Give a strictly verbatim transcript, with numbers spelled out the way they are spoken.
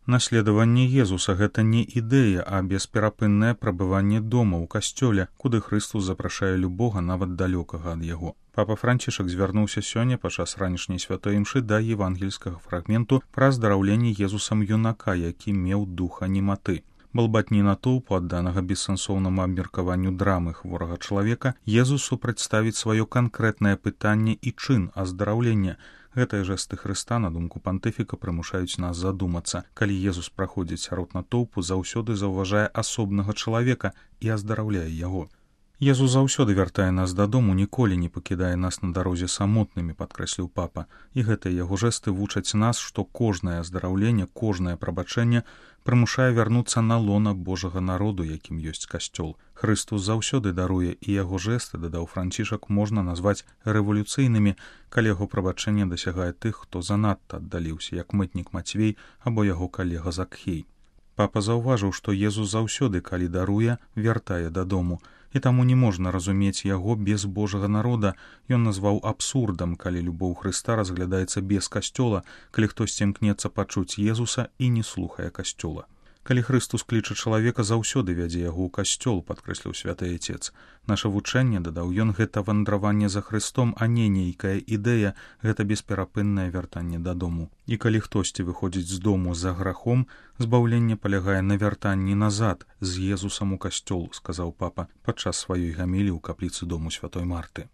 Наследаванне Езуса — гэта не ідэя, а бесперапыннае прабыванне дома ў касцёле, куды Хрыстус запрашае любога, нават далёкага ад яго. Папа Францішак звярнуўся сёння падчас ранішняй святой імшы да евангельскага фрагменту пра аздараўленне Езусам юнака, які меў духа нематы. Балбатні натоўпу, адданага бессэнсоўнаму абмеркаванню драмы хворага чалавека, Езусу прадставіць сваё канкрэтнае пытанне і чын аздараўлення. Гэтыя жэсты Хрыста, на думку пантыфіка, прымушаюць нас задумацца. Калі Езус праходзіць сярод натоўпу, заўсёды заўважае асобнага чалавека і аздараўляе яго. Езус заўсёды вяртае нас дадому, ніколі не пакідае нас на дарозе самотнымі, падкрэсліў папа. І гэтыя яго жэсты вучаць нас, што кожнае аздараўленне, кожнае прабачэнне прымушае вярнуцца на лона Божага народу, якім ёсць касцёл. Хрыстус заўсёды даруе, і яго жэсты, дадаў Францішак, можна назваць рэвалюцыйнымі, калі яго прабачэнне дасягае тых, хто занадта аддаліўся, як мытнік Мацвей або яго калега Закхей. Папа заўважыў, што Езус заўсёды, калі даруе, вяртае дадому, і таму не можна разумець яго без Божага народа. Ён назваў абсурдам, калі любоў Хрыста разглядаецца без касцёла, калі хтосьці імкнецца пачуць Езуса і не слухае касцёла. Калі Хрыстус кліча чалавека, заўсёды вядзе яго ў касцёл, падкрэсліў святы Айцец. Наша вучэнне, дадаў ён, гэта вандраванне за Хрыстом, а не нейкая ідэя, гэта бесперапыннае вяртанне дадому. І калі хтосьці выходзіць з дому за грахом, збаўленне палягае на вяртанні назад з Езусам у касцёл, сказаў папа падчас сваёй гаміліі ў капліцы дому святой Марты.